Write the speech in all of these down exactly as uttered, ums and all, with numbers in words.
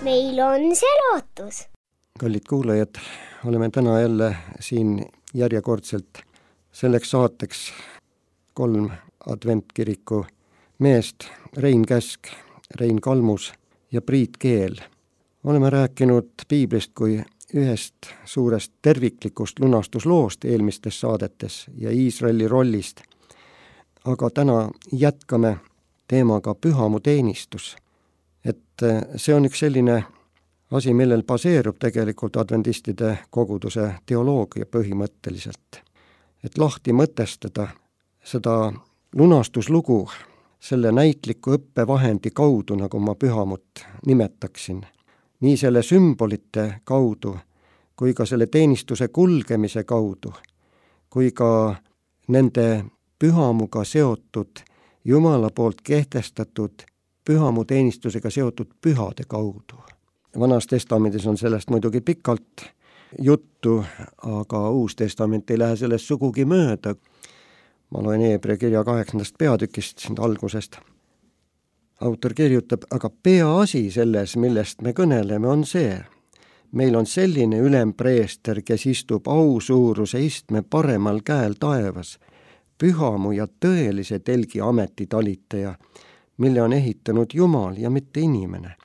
meil on see lootus. Kallid kuulajad, oleme täna jälle siin järjekordselt selleks saateks kolm adventkiriku meest, Rein Käsk, Rein Kalmus ja Priit Keel. Oleme rääkinud piiblist kui ühest suurest terviklikust lunastusloost eelmistes saadetes ja Iisraeli rollist. Aga täna jätkame teemaga pühamuteenistus. Et see on üks selline asi, millel baseerub tegelikult adventistide koguduse teoloogia põhimõtteliselt. Et lahti mõtestada seda lunastuslugu selle näitliku õppevahendi kaudu, nagu ma pühamut nimetaksin, nii selle sümbolite kaudu, kui ka selle teenistuse kulgemise kaudu, kui ka nende pühamuga seotud, Jumala poolt kehtestatud pühamuteenistusega seotud pühade kaudu. Vanas testamendis on sellest muidugi pikalt juttu, aga Uus Testament ei lähe sellest sugugi mööda. Ma loen Hebra kirja kaheksandast peatükist siin algusest. Autor kirjutab, aga peaasi selles, millest me kõneleme, on see. Meil on selline ülempreester, kes istub ausuuruse istme paremal käel taevas, pühamu ja tõelise telgi ametitalitaja, mille on ehitanud Jumal ja mitte inimene.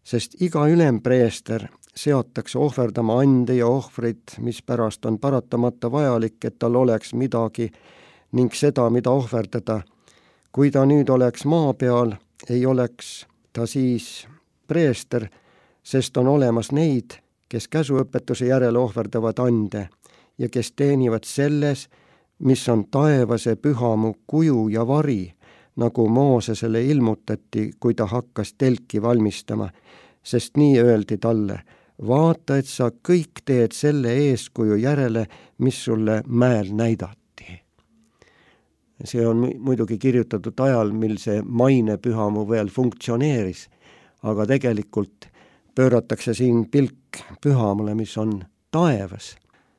Sest iga ülempreester seatakse ohverdama ande ja ohvrid, mis pärast on paratamata vajalik, et tal oleks midagi ning seda, mida ohverdada. Kui ta nüüd oleks maa peal, ei oleks ta siis preester, sest on olemas neid, kes käsuõpetuse järele ohverdavad ande ja kes teenivad selles, mis on taevase pühamu kuju ja vari, nagu Moosesele ilmutati, kui ta hakkas telki valmistama, sest nii öeldi talle, vaata, et sa kõik teed selle eeskuju järele, mis sulle mäel näidati. See on muidugi kirjutatud ajal, mil see maine pühamu veel funktsioneeris, aga tegelikult pööratakse siin pilk pühamule, mis on taevas,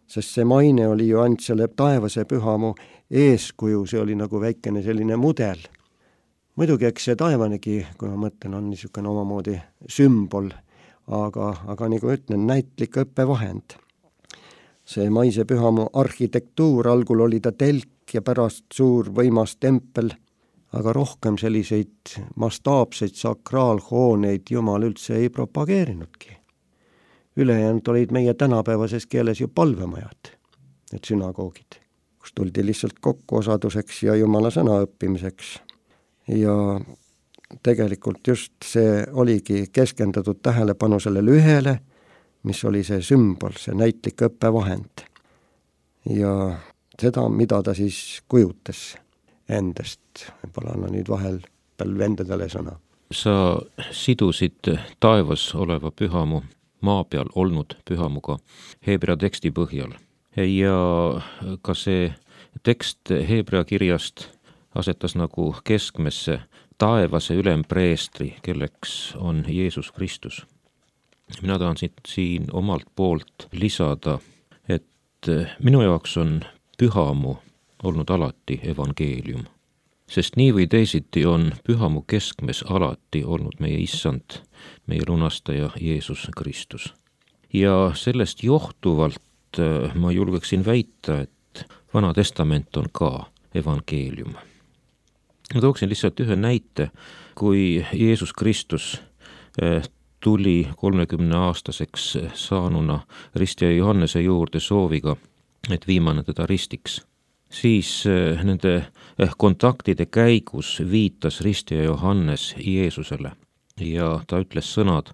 sest see maine oli ju ainult selle taevase pühamu eeskuju, see oli nagu väikene selline mudel. Muidugi, eks see taevanegi, kui ma mõtlen, on niisugune omamoodi sümbol, aga, aga nagu ütlen, näitlik õppevahend. See maise pühamu arhitektuur, algul oli ta telk ja pärast suur võimas tempel, aga rohkem selliseid mastaapseid sakraalhooneid Jumal üldse ei propageerinudki. Ülejäänud olid meie tänapäevases keeles ju palvemajad, need sünagoogid, kus tuldi lihtsalt kokku osaduseks ja Jumala sõna õppimiseks. Ja tegelikult just see oligi keskendatud tähelepanu sellele ühele, mis oli see sümbol, see näitlik õppevahend. Ja seda, mida ta siis kujutas endast. Võib-olla anna nüüd vahel palju vendadele sõna. Sa sidusid taevas oleva pühamu maa peal olnud pühamuga Hebra teksti põhjal. Ja ka see tekst Hebra kirjast asetas nagu keskmesse taevase ülempreestri, kelleks on Jeesus Kristus. Mina tahan siin omalt poolt lisada, et minu jaoks on pühamu olnud alati evangeelium. Sest nii või teisiti on pühamu keskmes alati olnud meie issand, meie lunastaja Jeesus Kristus. Ja sellest johtuvalt ma julgeksin väita, et Vana Testament on ka evangeelium. Ma tooksin lihtsalt ühe näite, kui Jeesus Kristus tuli kolmekümne aastaseks saanuna ristija Johannese juurde sooviga, et viimane teda ristiks. Siis nende kontaktide käigus viitas ristija Johannes Jeesusele ja ta ütles sõnad,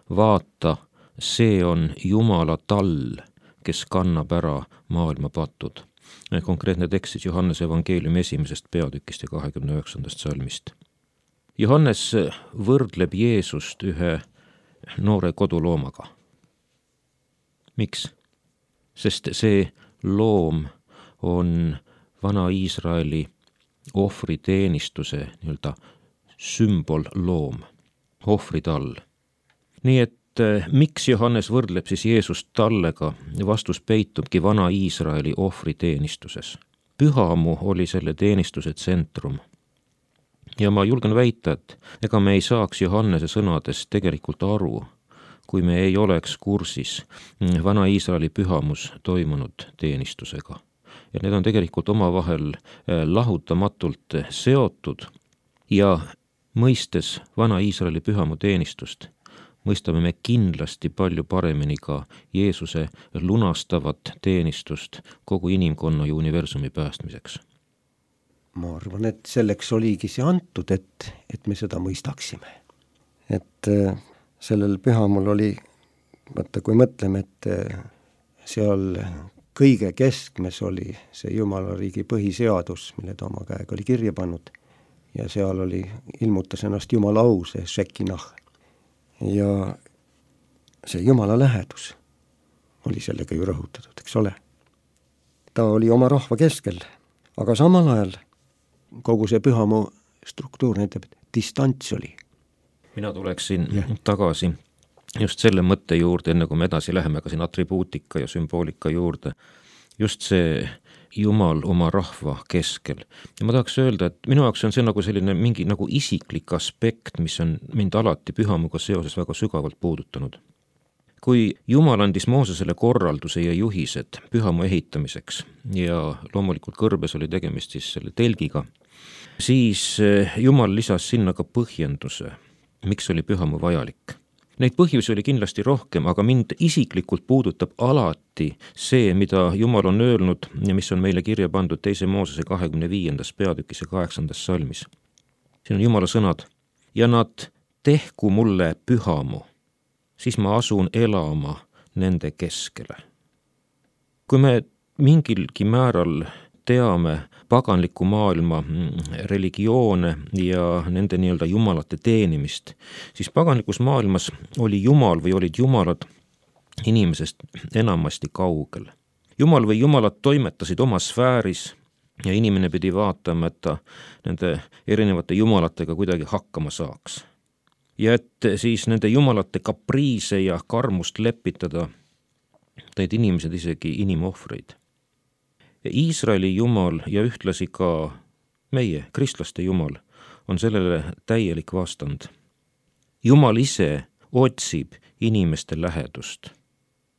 vaata, see on Jumala tall, kes kannab ära maailma patud. Konkreetne tekst siis Johannese evangeeliumi esimesest peatükist ja kahekümne üheksandast salmist. Johannes võrdleb Jeesust ühe noore koduloomaga. Miks? Sest see loom on vana Iisraeli ohvriteenistuse nii-öelda sümbolloom, ohvritall. Nii et miks Johannes võrdleb siis Jeesust tallega, vastus peitubki vana Iisraeli ohvriteenistuses. Pühamu oli selle teenistuse tsentrum. Ja ma julgen väita, et ega me ei saaks Johannese sõnadest tegelikult aru, kui me ei oleks kursis vana Iisraeli pühamus toimunud teenistusega. Ja need on tegelikult omavahel lahutamatult seotud ja mõistes vana Iisraeli pühamu teenistust, mõistame me kindlasti palju paremini ka Jeesuse lunastavat teenistust kogu inimkonna ja universumi päästmiseks. Ma arvan, et selleks oligi see antud, et, et me seda mõistaksime. Et sellel pühamul oli, vaata kui mõtleme, et seal kõige keskmes oli see Jumala riigi põhiseadus, mille ta oma käega oli kirja pannud ja seal oli, ilmutas ennast Jumala au, see Shekinah. Ja see Jumala lähedus oli sellega ju rõhutatud, eks ole. Ta oli oma rahva keskel, aga samal ajal kogu see pühamu struktuur näitab, et distants oli. Mina tuleksin yeah. tagasi just selle mõtte juurde, enne kui me edasi läheme ka siin atribuutika ja sümboolika juurde. Just see Jumal oma rahva keskel. Ja ma tahaks öelda, et minu jaoks on see nagu selline mingi nagu isiklik aspekt, mis on mind alati pühamuga seoses väga sügavalt puudutanud. Kui Jumal andis Moosesele korralduse ja juhised pühamu ehitamiseks ja loomulikult kõrbes oli tegemist siis selle telgiga, siis Jumal lisas sinna ka põhjenduse, miks oli pühamu vajalik. Neid põhjusi oli kindlasti rohkem, aga mind isiklikult puudutab alati see, mida Jumal on öelnud ja mis on meile kirja pandud teise Moosese kahekümne viiendas peatükis ja kaheksandas salmis. Siin on Jumala sõnad. Ja nad tehku mulle pühamu, siis ma asun elama nende keskele. Kui me mingilgi määral teame paganliku maailma religioone ja nende nii-öelda jumalate teenimist, siis paganlikus maailmas oli Jumal või olid jumalad inimesest enamasti kaugel. Jumal või jumalad toimetasid oma sfääris ja inimene pidi vaatama, et ta nende erinevate jumalatega kuidagi hakkama saaks. Ja et siis nende jumalate kapriise ja karmust lepitada, teid inimesed isegi inimohvreid. Ja Iisraeli Jumal ja ühtlasi ka meie, kristlaste Jumal, on sellele täielik vastand. Jumal ise otsib inimeste lähedust.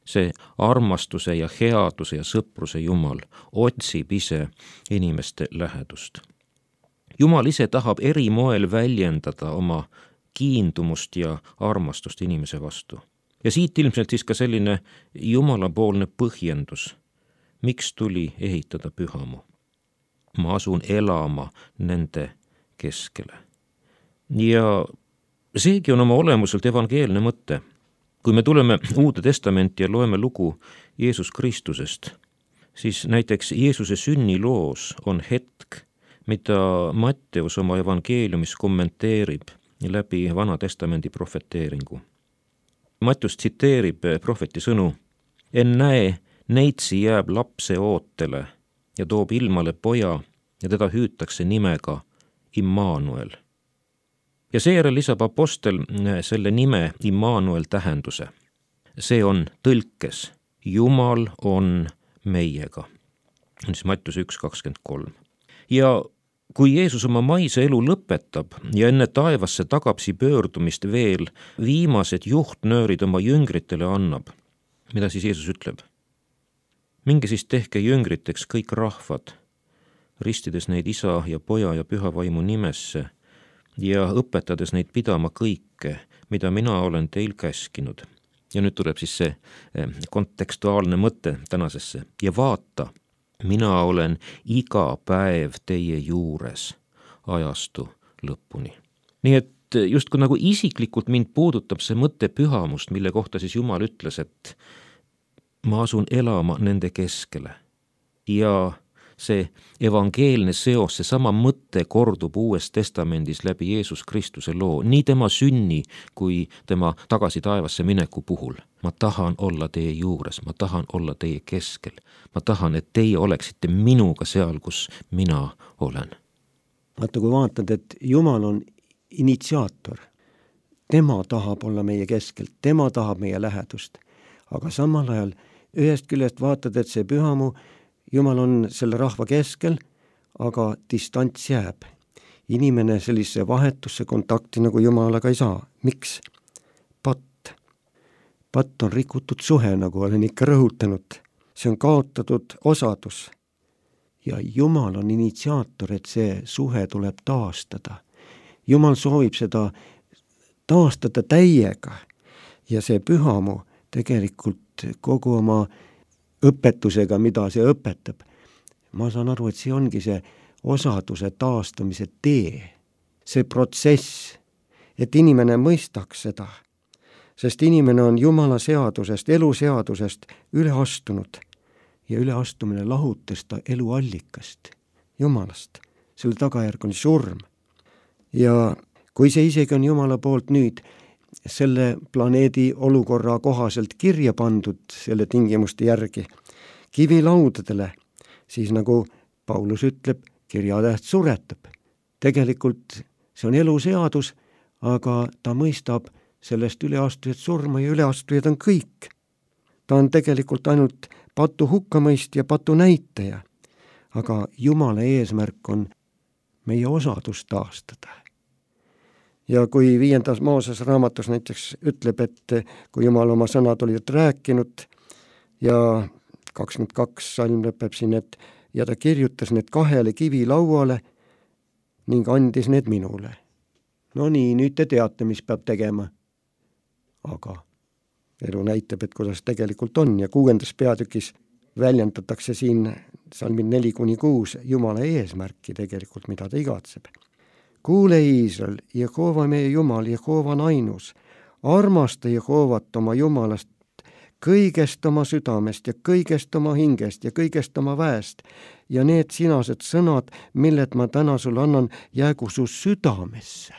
See armastuse ja headuse ja sõpruse Jumal otsib ise inimeste lähedust. Jumal ise tahab eri moel väljendada oma kiindumust ja armastust inimese vastu. Ja siit ilmselt siis ka selline jumalapoolne põhjendus, miks tuli ehitada pühamu. Ma asun elama nende keskele. Ja seegi on oma olemuselt evangeelne mõte. Kui me tuleme Uude Testamenti ja loeme lugu Jeesus Kristusest, siis näiteks Jeesuse sünniloos on hetk, mida Matteus oma evangeeliumis kommenteerib läbi Vana Testamendi profeteeringu. Matteus tsiteerib profeti sõnu: En näe, neitsi jääb lapse ootele ja toob ilmale poja ja teda hüütakse nimega Immanuel. Ja seejärel lisab apostel selle nime Immanuel tähenduse. See on tõlkes Jumal on meiega. On siis Matteuse üks kakskümmend kolm. Ja kui Jeesus oma maise elu lõpetab ja enne taevasse tagapsi pöördumist veel viimased juhtnöörid oma jüngritele annab, mida siis Jeesus ütleb? Minge siis tehke jüngriteks kõik rahvad, ristides neid isa ja poja ja püha vaimu nimesse ja õpetades neid pidama kõike, mida mina olen teil käskinud. Ja nüüd tuleb siis see kontekstuaalne mõte tänasesse. Ja vaata, mina olen iga päev teie juures ajastu lõpuni. Nii et just kui nagu isiklikult mind puudutab see mõte pühamust, mille kohta siis Jumal ütles, et ma asun elama nende keskele. Ja see evangeelne seos, see sama mõte kordub Uues Testamendis läbi Jeesus Kristuse loo, nii tema sünni kui tema tagasi taevasse mineku puhul. Ma tahan olla teie juures, ma tahan olla teie keskel. Ma tahan, et teie oleksite minuga seal, kus mina olen. Vaata, kui vaatad, et Jumal on initsiaator. Tema tahab olla meie keskel, tema tahab meie lähedust. Aga samal ajal ühest küljest vaatad, et see pühamu Jumal on selle rahva keskel, aga distants jääb. Inimene sellise vahetusse kontakti nagu Jumalaga ei saa. Miks? Patt. patt on rikutud suhe, nagu olen ikka rõhutanud. See on kaotatud osadus. Ja Jumal on initsiaator, et see suhe tuleb taastada. Jumal soovib seda taastada täiega ja see pühamu tegelikult kogu oma õpetusega, mida see õpetab. Ma saan aru, et see ongi see osaduse taastamise tee, see protsess, et inimene mõistaks seda, sest inimene on Jumala seadusest, eluseadusest üle astunud ja üleastumine lahutas ta eluallikast, Jumalast. Selle tagajärg on surm. Ja kui see isegi on Jumala poolt nüüd selle planeedi olukorra kohaselt kirja pandud selle tingimuste järgi kivilaudadele, siis nagu Paulus ütleb, kirjatäht suretab. Tegelikult see on eluseadus, aga ta mõistab sellest üleastujad surma ja üleastujad on kõik. Ta on tegelikult ainult patu hukkamõist ja patu näitaja, aga Jumala eesmärk on meie osadus taastada. Ja kui viiendas Mooses raamatus näiteks ütleb, et kui Jumal oma sõnad olid rääkinud ja kakskümmend kaks salm lõpeb siin, et ja ta kirjutas need kahele kivilauale ning andis need minule. No nii, nüüd te teate, mis peab tegema. Aga elu näitab, et kuidas tegelikult on ja kuuendas peatükis väljendatakse siin salmid neli kuni kuus Jumala eesmärki tegelikult, mida ta igatseb. Kuule Iisrael, Jehova meie Jumal, Jehova on ainus, armasta Jehovat oma Jumalast kõigest oma südamest ja kõigest oma hingest ja kõigest oma väest ja need sinased sõnad, millet ma täna sul annan, jäägu su südamesse.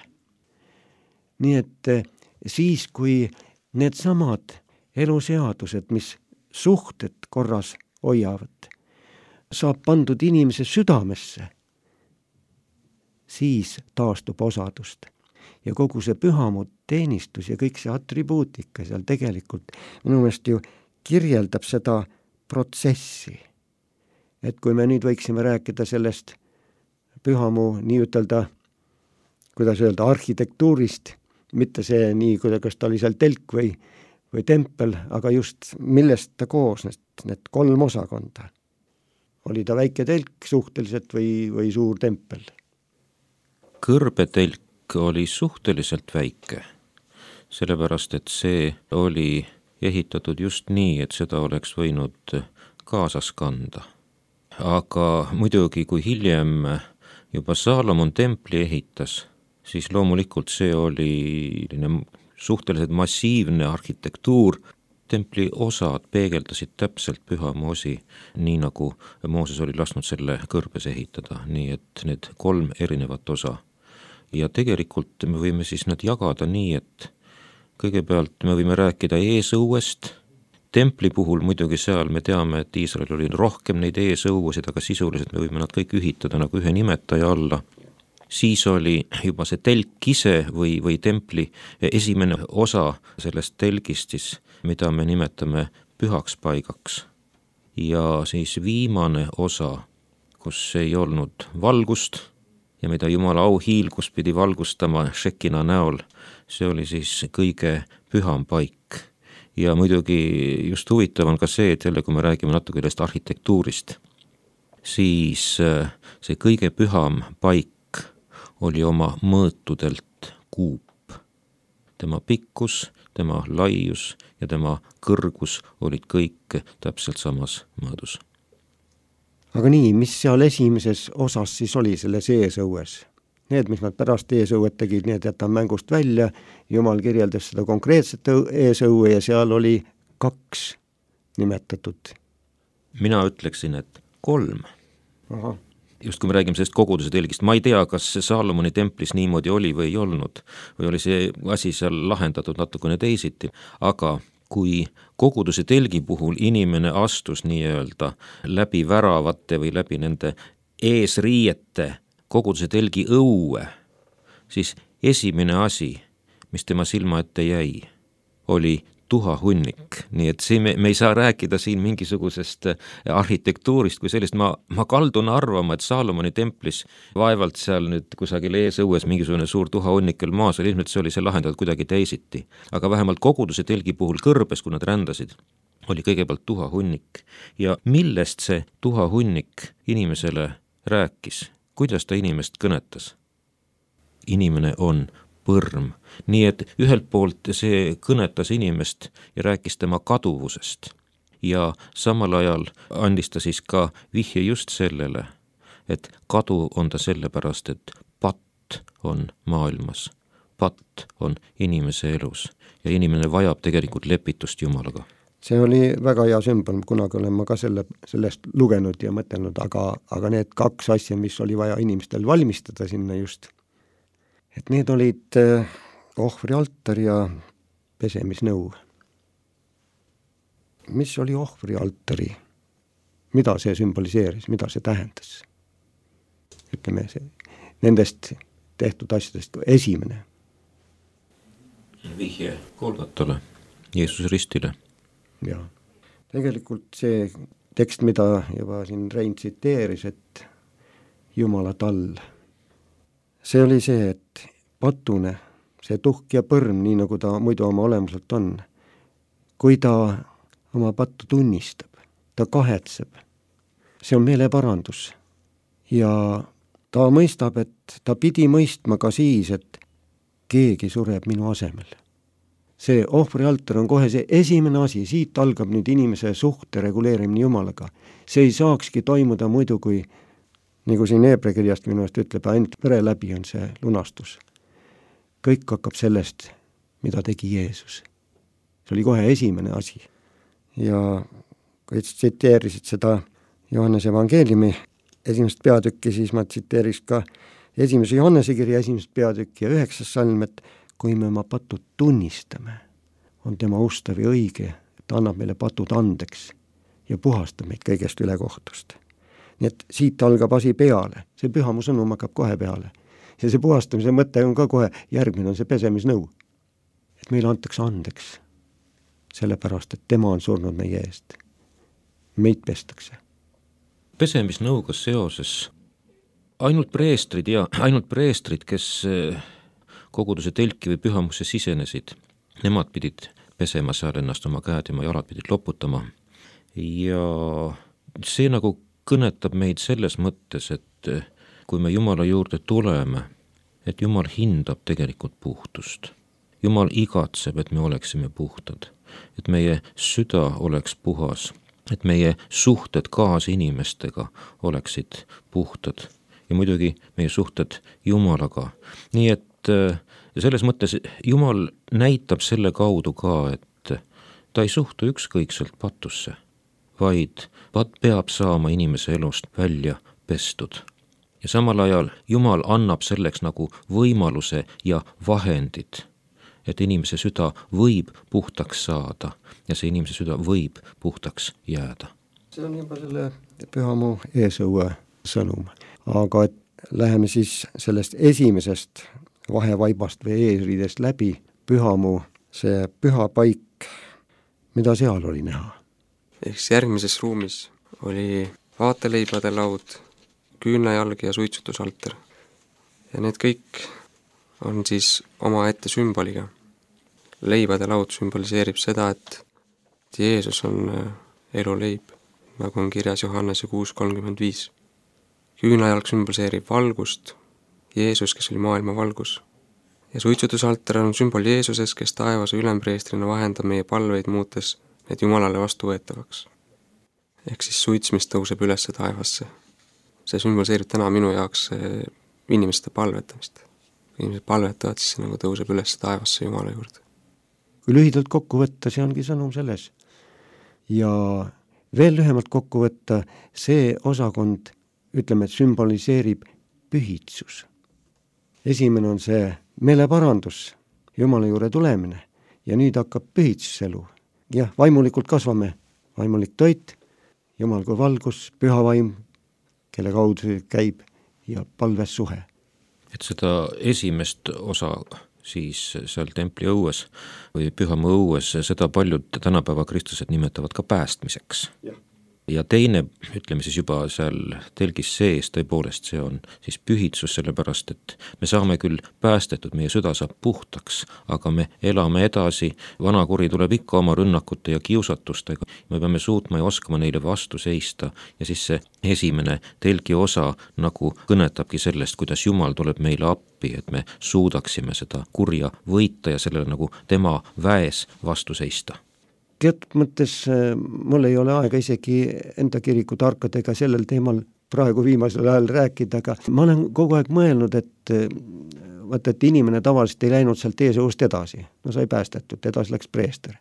Nii et siis, kui need samad eluseadused, mis suhted korras hoiavad, saab pandud inimese südamesse, siis taastub osadust. Ja kogu see pühamu teenistus ja kõik see atribuutika seal tegelikult minu meelest ju kirjeldab seda protsessi. Et kui me nüüd võiksime rääkida sellest pühamu nii ütelda, kuidas öelda, arhitektuurist, mitte see nii, kuidas ta oli seal telk või, või tempel, aga just millest ta koosnes, need kolm osakonda. Oli ta väike telk suhteliselt või, või suur tempel? Kõrbetelk oli suhteliselt väike, sellepärast et see oli ehitatud just nii, et seda oleks võinud kaasas kanda. Aga muidugi, kui hiljem juba Saalomon templi ehitas, siis loomulikult see oli suhteliselt massiivne arhitektuur. Templi osad peegeldasid täpselt pühamu osi, nii nagu Mooses oli lasknud selle kõrbes ehitada, nii et need kolm erinevat osa. Ja tegelikult me võime siis nad jagada nii, et kõigepealt me võime rääkida eesõuest. Templi puhul muidugi seal me teame, et Iisrael oli rohkem neid eesõuesid, aga sisuliselt me võime nad kõik ühitada nagu ühe nimetaja alla. Siis oli juba see telk ise või, või templi esimene osa sellest telgist, siis, mida me nimetame pühaks paigaks. Ja siis viimane osa, kus ei olnud valgust ja mida Jumala auhiilgus pidi valgustama Šekina näol, see oli siis kõige püham paik. Ja muidugi just huvitav on ka see, et jälle kui me räägime natuke sellest arhitektuurist, siis see kõige püham paik oli oma mõõtudelt kuup. Tema pikkus, tema laius ja tema kõrgus olid kõik täpselt samas mõõdus. Aga nii, mis seal esimeses osas siis oli selles eesõues? Need, mis nad pärast eesõuet tegid, need jätan mängust välja. Jumal kirjeldas seda konkreetset eesõue ja seal oli kaks nimetatud. Mina ütleksin, et kolm. Aha. Just kui me räägime sellest koguduse telgist, ma ei tea, kas Saalomoni templis niimoodi oli või ei olnud, või oli see asi seal lahendatud natukene teisiti, aga kui koguduse telgi puhul inimene astus nii-öelda läbi väravate või läbi nende eesriiete koguduse telgi õue, siis esimene asi, mis tema silma ette jäi, oli tuhahunnik, nii et siin me, me ei saa rääkida siin mingisugusest arhitektuurist kui sellist, ma, ma kaldun arvama, et Saalomoni templis vaevalt seal nüüd kusagil eesõues mingisugune suur tuhahunnikel maas oli, ilmselt see oli see lahendatud kuidagi teisiti. Aga vähemalt koguduse telgi puhul kõrbes, kui nad rändasid, oli kõigepealt tuhahunnik. Ja millest see tuhahunnik inimesele rääkis? Kuidas ta inimest kõnetas? Inimene on põrm. Nii et ühelt poolt see kõnetas inimest ja rääkis tema kaduvusest. Ja samal ajal andis ta siis ka vihje just sellele, et kadu on ta sellepärast, et patt on maailmas. Patt on inimese elus ja inimene vajab tegelikult lepitust Jumalaga. See oli väga hea sümbol, kunagi olen ma ka selle, sellest lugenud ja mõtelnud, aga, aga need kaks asja, mis oli vaja inimestel valmistada sinna just, et need olid ohvrialtar ja pesemisnõu. Mis oli ohvrialtari? Mida see sümboliseeris? Mida see tähendas? Ütleme, see, nendest tehtud asjadest esimene. Vihje Golgatale, Jeesuse ristile. Ja tegelikult see tekst, mida juba siin Rein tsiteeris, et Jumala tall, see oli see, et patune, see tuhk ja põrm, nii nagu ta muidu oma olemuselt on, kui ta oma pattu tunnistab, ta kahetseb, see on meeleparandus ja ta mõistab, et ta pidi mõistma ka siis, et keegi sureb minu asemel. See ohvrialtar on kohe see esimene asi, siit algab nüüd inimese suhte reguleerimine Jumalaga. See ei saakski toimuda muidu, kui nagu siin Heebrea kirjast minu eest ütleb, ainult vere läbi on see lunastus. Kõik hakkab sellest, mida tegi Jeesus. See oli kohe esimene asi. Ja kui tsiteerisid seda Johannese evangeeliumi esimest peatükki, siis ma tsiteeriks ka esimese Johannese kirja esimest peatükki ja üheksas salm, et kui me oma patud tunnistame, on tema ustav ja õige, et annab meile patud andeks ja puhastab meid kõigest ülekohtust. Nii et siit algab asi peale, see pühamu sõnum hakkab kohe peale. Ja see puhastamise mõte on ka kohe, järgmine on see pesemisnõu. Et meile antakse andeks, sellepärast, et tema on surnud meie eest. Meid pestakse. Pesemisnõuga seoses ainult preestrid ja ainult preestrid, kes koguduse telki või pühamusse sisenesid, nemad pidid pesema seal ennast, oma käed ja oma jalad pidid loputama. Ja see nagu kõnetab meid selles mõttes, et kui me Jumala juurde tuleme, et Jumal hindab tegelikult puhtust. Jumal igatseb, et me oleksime puhtad, et meie süda oleks puhas, et meie suhted kaas inimestega oleksid puhtad ja muidugi meie suhted Jumalaga. Nii et ja selles mõttes Jumal näitab selle kaudu ka, et ta ei suhtu ükskõikselt patusse, vaid pat peab saama inimese elust välja pestud. Ja samal ajal Jumal annab selleks nagu võimaluse ja vahendid, et inimese süda võib puhtaks saada ja see inimese süda võib puhtaks jääda. See on juba selle pühamu eesõue sõnum, aga et läheme siis sellest esimesest vahevaibast või eesriidest läbi pühamu, see püha paik, mida seal oli näha? Ehk järgmises ruumis oli vaateleibade laud, küünlajalg ja suitsutusalter. Ja need kõik on siis oma ette sümboliga. Leibade laud sümboliseerib seda, et Jeesus on eluleib, nagu on kirjas Johannese kuus kolmkümmend viis. Küünlajalg sümboliseerib valgust, Jeesus, kes oli maailma valgus. Ja suitsutusalter on sümbol Jeesuses, kes taevas ülempreestrina vahendab meie palveid muutes need Jumalale vastuvõetavaks. Ehk siis suits, mis tõuseb üles taevasse. See sümboliseerib täna minu jaoks inimeste palvetamist. Kui inimesed palvetavad, siis see nagu tõuseb üles taevasse Jumala juurde. Kui lühidalt kokku võtta, see ongi sõnum selles. Ja veel lühemalt kokku võtta, see osakond, ütleme, et sümboliseerib pühitsus. Esimene on see meeleparandus, Jumala juurde tulemine ja nüüd hakkab pühitsuselu. Jah, vaimulikult kasvame, vaimulik toit, Jumal kui valgus, püha vaim, kelle kaudu käib ja palves suhe. Et seda esimest osa siis seal templi õues või pühamu õues, seda paljud tänapäeva kristlased nimetavad ka päästmiseks. Ja teine, ütleme siis juba seal telgis sees, tõepoolest see on siis pühitsus, sellepärast et me saame küll päästetud, meie süda saab puhtaks, aga me elame edasi, vanakuri tuleb ikka oma rünnakute ja kiusatustega, me peame suutma ja oskama neile vastu seista ja siis see esimene telgi osa nagu kõnetabki sellest, kuidas Jumal tuleb meile appi, et me suudaksime seda kurja võita ja sellele nagu tema väes vastu seista. Teatud mõttes mul ei ole aega isegi enda kiriku tarkadega sellel teemal praegu viimasel ajal rääkida, aga ma olen kogu aeg mõelnud, et vaata, et inimene tavaliselt ei läinud sealt eesõust edasi. No sai päästetud, edasi läks preester.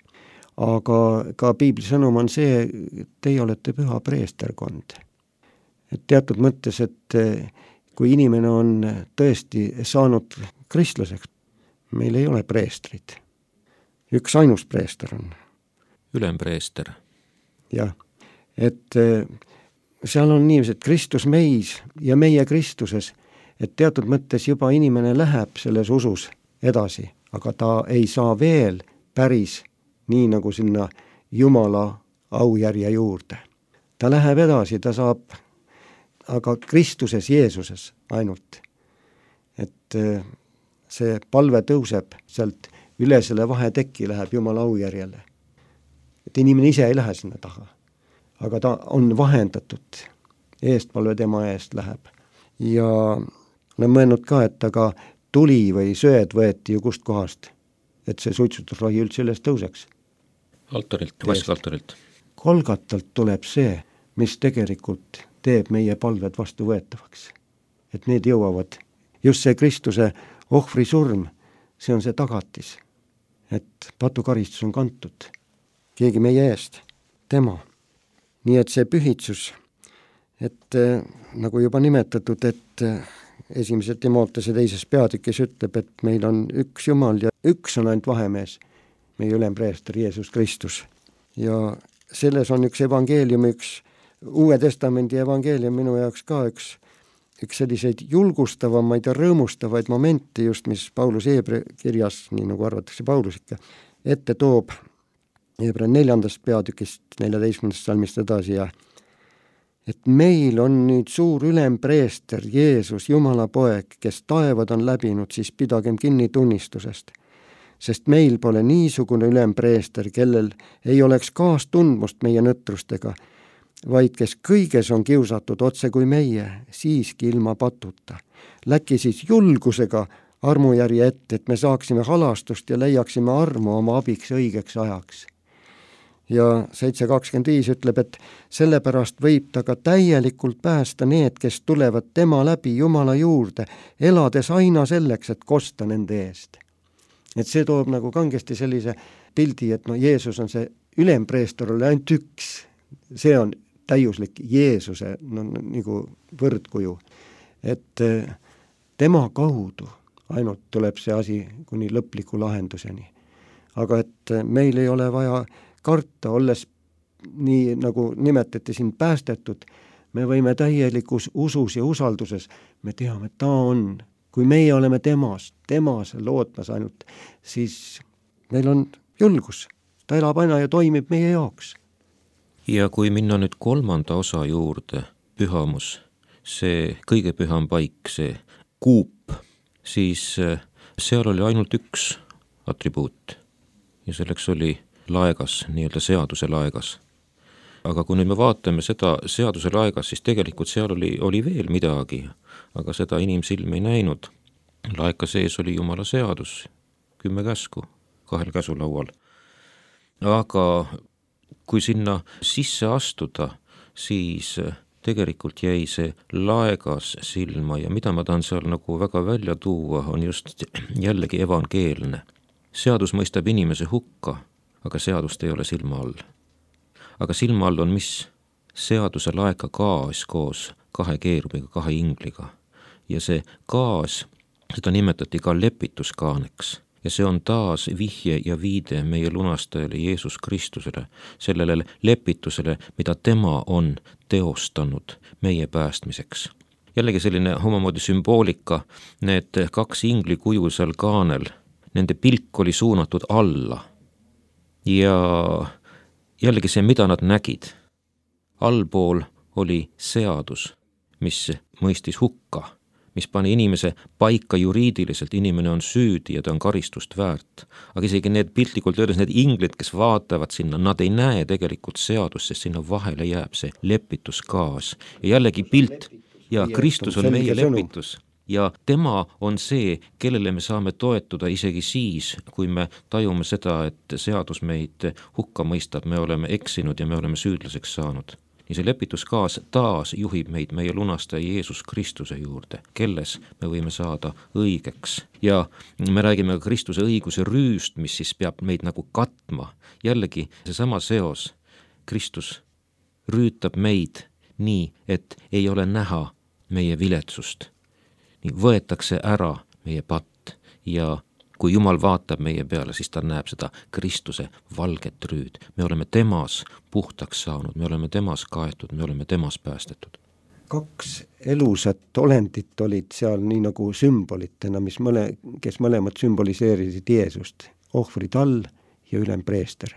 Aga ka piibli sõnum on see, et teie olete püha preesterkond. Et teatud mõttes, et kui inimene on tõesti saanud kristlaseks, meil ei ole preestrid. Üks ainus preester on. Ülempreester. Jah, et seal on niiviisi, et Kristus meis ja meie Kristuses, et teatud mõttes juba inimene läheb selles usus edasi, aga ta ei saa veel päris nii nagu sinna Jumala aujärje juurde. Ta läheb edasi, ta saab, aga Kristuses, Jeesuses ainult. Et see palve tõuseb sealt üle selle vahetekki, läheb Jumala aujärjele. Et inimene ise ei lähe sinna taha, aga ta on vahendatud, eestpalve tema eest läheb. Ja olen mõelnud ka, et aga tuli või söed võeti ju kust kohast, et see suitsutusrohi üldse üles tõuseks. Altarilt, vaskaltarilt. Kolgatalt tuleb see, mis tegelikult teeb meie palved vastu võetavaks. Et need jõuavad, just see Kristuse ohvri surm, see on see tagatis, et patukaristus on kantud. Keegi meie eest, tema. Nii et see pühitsus, et nagu juba nimetatud, et esimese Timootese teises peatükis ütleb, et meil on üks Jumal ja üks on ainult vahemees, meie ülempreester Jeesus Kristus. Ja selles on üks evangeelium, üks Uue Testamendi evangeelium minu jaoks ka üks, üks selliseid julgustavamaid ja rõõmustavaid momente just, mis Paulus Heebra kirjas, nii nagu arvatakse Paulus ikka, ette toob Heebra neljandast peatükist, neljateistkümnendast salmist edasi ja et meil on nüüd suur ülempreester Jeesus, Jumala poeg, kes taevad on läbinud, siis pidagem kinni tunnistusest. Sest meil pole niisugune ülempreester, kellel ei oleks kaastundmust meie nõtrustega, vaid kes kõiges on kiusatud otse kui meie, siiski ilma patuta. Läki siis julgusega armujärje ette, et me saaksime halastust ja leiaksime armu oma abiks õigeks ajaks. Ja seitse kakskümmend viis ütleb, et sellepärast võib ta ka täielikult päästa need, kes tulevad tema läbi Jumala juurde, elades aina selleks, et kosta nende eest. Et see toob nagu kangesti sellise pildi, et no Jeesus on see ülempreester oli ainult üks. See on täiuslik Jeesuse no, nagu võrdkuju. Et tema kaudu ainult tuleb see asi kuni lõpliku lahenduseni. Aga et meil ei ole vaja karta, olles nii nagu nimetati siin päästetud, me võime täielikus usus ja usalduses, me teame, et ta on, kui meie oleme temas, temas lootmas ainult, siis meil on julgus, ta elab aina ja toimib meie jaoks. Ja kui minna nüüd kolmanda osa juurde, pühamus, see kõige püham paik, see kuup, siis seal oli ainult üks atribuut ja selleks oli laegas, nii-öelda seaduse laegas. Aga kui nüüd me vaatame seda seaduse laegas, siis tegelikult seal oli, oli veel midagi, aga seda inimsilm ei näinud. Laeka sees oli Jumala seadus, kümme käsku, kahel käsulaual. Aga kui sinna sisse astuda, siis tegelikult jäi see laegas silma ja mida ma tahan seal nagu väga välja tuua, on just jällegi evangeelne. Seadus mõistab inimese hukka, aga seadust ei ole silma all. Aga silma all on mis? Seaduse laeka gaas koos kahe keerubiga, kahe ingliga. Ja see gaas, seda nimetati ka lepituskaaneks. Ja see on taas vihje ja viide meie lunastajale Jeesus Kristusele, sellele lepitusele, mida tema on teostanud meie päästmiseks. Jällegi selline omamoodi sümboolika, need kaks inglikuju seal kaanel, nende pilk oli suunatud alla. Ja jällegi see, mida nad nägid. Allpool oli seadus, mis mõistis hukka, mis pani inimese paika juriidiliselt, inimene on süüdi ja ta on karistust väärt. Aga isegi need piltlikult öeldes, need inglid, kes vaatavad sinna, nad ei näe tegelikult seadust, sest sinna vahele jääb see lepituskaas. Ja jällegi pilt ja Kristus on meie lepitus. Ja tema on see, kellele me saame toetuda isegi siis, kui me tajume seda, et seadus meid hukka mõistab, me oleme eksinud ja me oleme süüdlaseks saanud. Nii see lepituskaas taas juhib meid meie lunastaja Jeesus Kristuse juurde, kelles me võime saada õigeks. Ja me räägime ka Kristuse õiguse rüüst, mis siis peab meid nagu katma. Jällegi seesama seos, Kristus rüütab meid nii, et ei ole näha meie viletsust. Nii võetakse ära meie patt ja kui Jumal vaatab meie peale, siis ta näeb seda Kristuse valget rüüd. Me oleme temas puhtaks saanud, me oleme temas kaetud, me oleme temas päästetud. Kaks elusat olendit olid seal nii nagu sümbolitena, mis mõle, kes mõlemad sümboliseerisid Jeesust. Ohvritall ja ülempreester.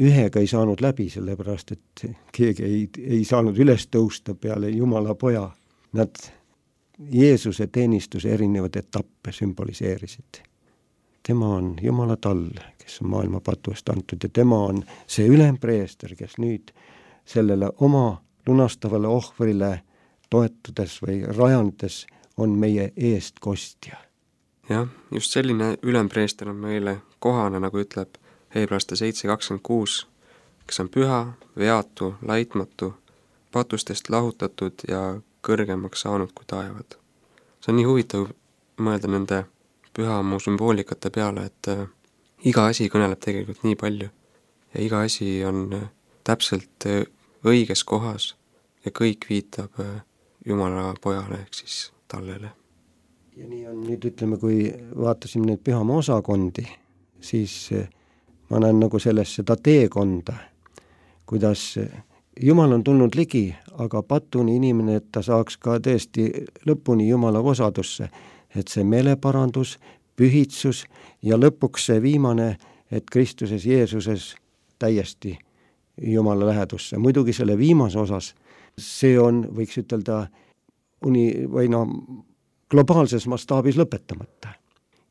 Ühega ei saanud läbi, sellepärast et keegi ei, ei saanud üles tõusta peale Jumala poja. Nad Jeesuse teenistuse erinevad etappe sümboliseerisid. Tema on Jumala tall, kes on maailma patu eest antud ja tema on see ülempreester, kes nüüd sellele oma lunastavale ohvrile toetudes või rajandes on meie eest kostja. Jah, just selline ülempreester on meile kohane, nagu ütleb Heebreaste seitse kakskümmend kuus, kes on püha, veatu, laitmatu, patustest lahutatud ja kõrgemaks saanud kui taevad. See on nii huvitav mõelda nende pühamu sümboolikate peale, et äh, iga asi kõneleb tegelikult nii palju ja iga asi on äh, täpselt äh, õiges kohas ja kõik viitab äh, Jumala pojale ehk siis tallele. Ja nii on nüüd, ütleme, kui vaatasime neid pühamu osakondi, siis äh, ma näen nagu selles seda teekonda, kuidas äh, Jumal on tulnud ligi, aga patuni inimene, et ta saaks ka tõesti lõpuni Jumala osadusse, et see meeleparandus, pühitsus ja lõpuks see viimane, et Kristuses Jeesuses täiesti Jumala lähedusse. Muidugi selle viimase osas, see on, võiks ütelda, uni, või no, globaalses mastaabis lõpetamata.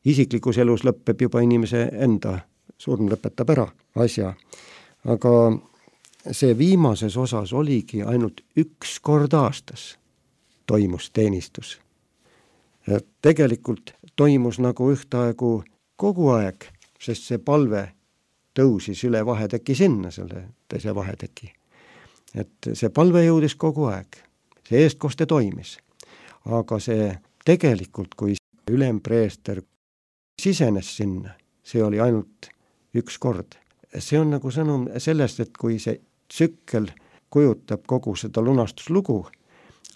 Isiklikus elus lõpeb juba inimese enda, surm lõpetab ära asja, aga see viimases osas oligi ainult üks kord aastas toimus teenistus. Ja tegelikult toimus nagu ühtaegu kogu aeg, sest see palve tõusis üle vaheteki sinna, selle teise vaheteki. Et see palve jõudis kogu aeg, see eestkoste toimis. Aga see tegelikult, kui ülempreester sisenes sinna, see oli ainult üks kord. See on nagu sõnum sellest, et kui see tsükkel kujutab kogu seda lunastuslugu,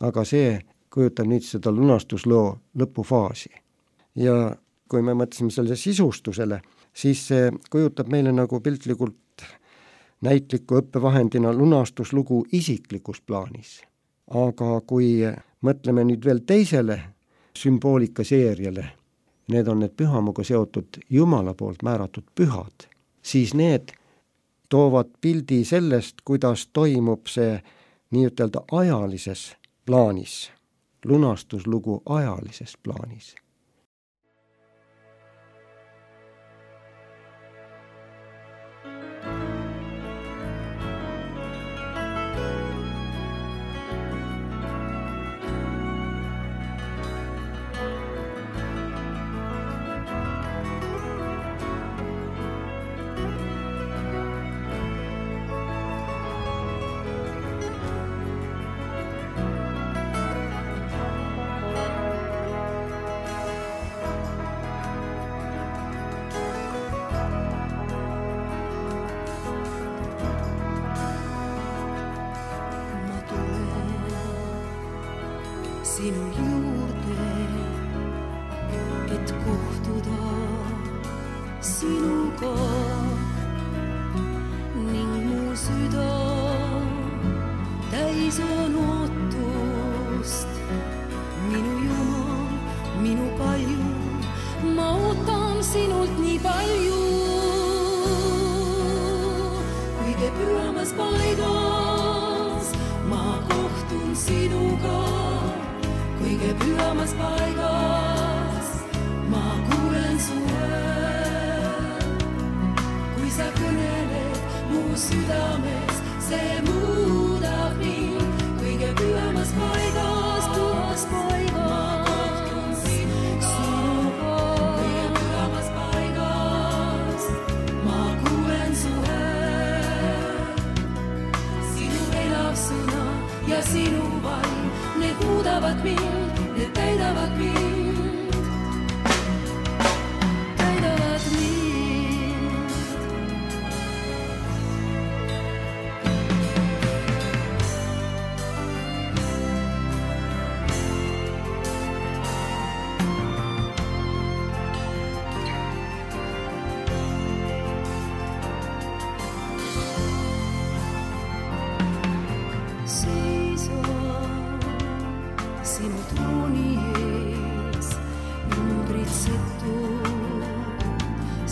aga see kujutab nüüd seda lunastusloo lõpufaasi. Ja kui me mõtlesime selle sisustusele, siis see kujutab meile nagu piltlikult näitliku õppevahendina lunastuslugu isiklikus plaanis. Aga kui mõtleme nüüd veel teisele sümboolika seeriale, need on need pühamuga seotud Jumala poolt määratud pühad, siis need toovad pildi sellest, kuidas toimub see nii-ütelda ajalises plaanis, lunastuslugu ajalises plaanis. Sinu juurde, et kohtuda sinuga ning mu süda täis on ootust. Minu Jumal, minu kalju, ma ootan sinult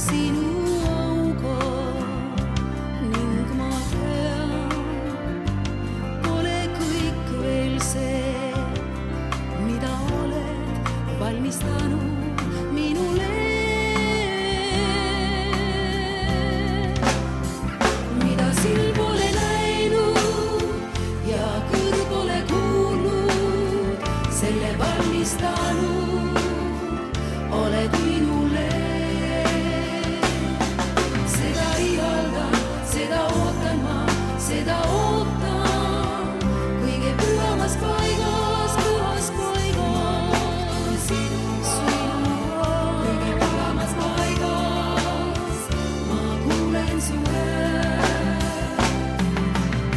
sinu auga ning ma tean, pole kõik veel see, mida oled valmistanud minule. Mida silm pole näinud ja kõrv pole kuulnud, selle valmistanud oled minule. Seda ihaldan, seda ootan ma, seda ootan kõige pühamas paigas, pühas paigas. Kõige pühamas paigas ma kuulen su häält.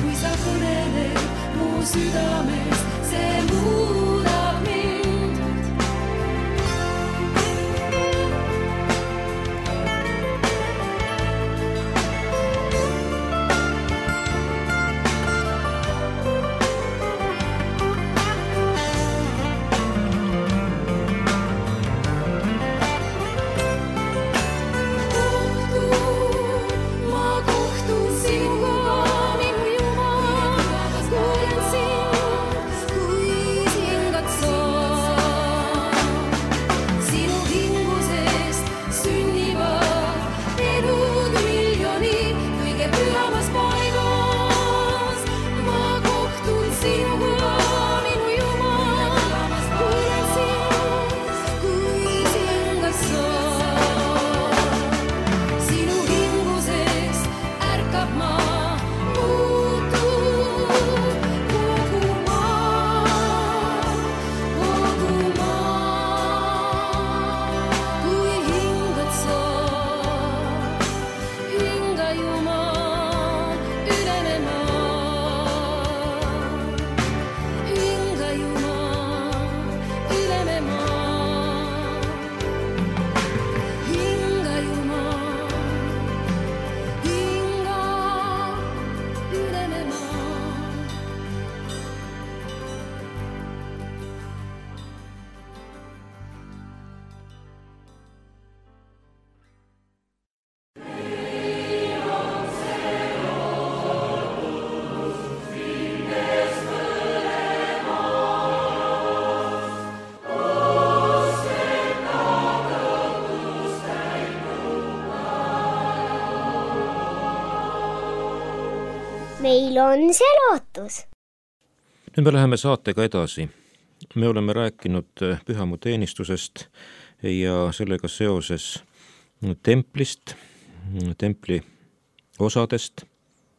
Kui sa kõneled mu südames, see muudab mind. Ma kohtun sinuga, minu Jumal, kuulen sind, kui hingad sa. Sinu hingusest sünnivad elud miljonid kõige pühamas paigas. Ma kohtun sinuga, minu Jumal, kuulen sind, kui hingad sa. Sinu hingusest ärkab ma, muutub kogu maa, kogu maa. Kui hingad sa, hinga Jumal, üleme maa. Hinga Jumal, üleme maa. Hinga Jumal, hinga üleme maa. meil on see lootus. Nüüd me läheme saatega edasi. Me oleme rääkinud pühamu teenistusest ja sellega seoses templist, templi osadest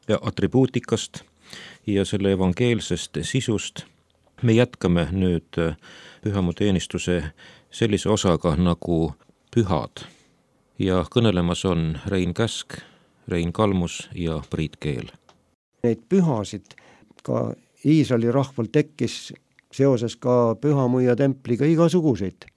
ja atribuutikast ja selle evangeelsest sisust. Me jätkame nüüd pühamu teenistuse sellise osaga nagu pühad ja kõnelemas on Rein Käsk, Rein Kalmus ja Priit Keel. Neid pühasid ka Iisraeli rahval tekkis seoses ka pühamu ja templiga igasuguseid.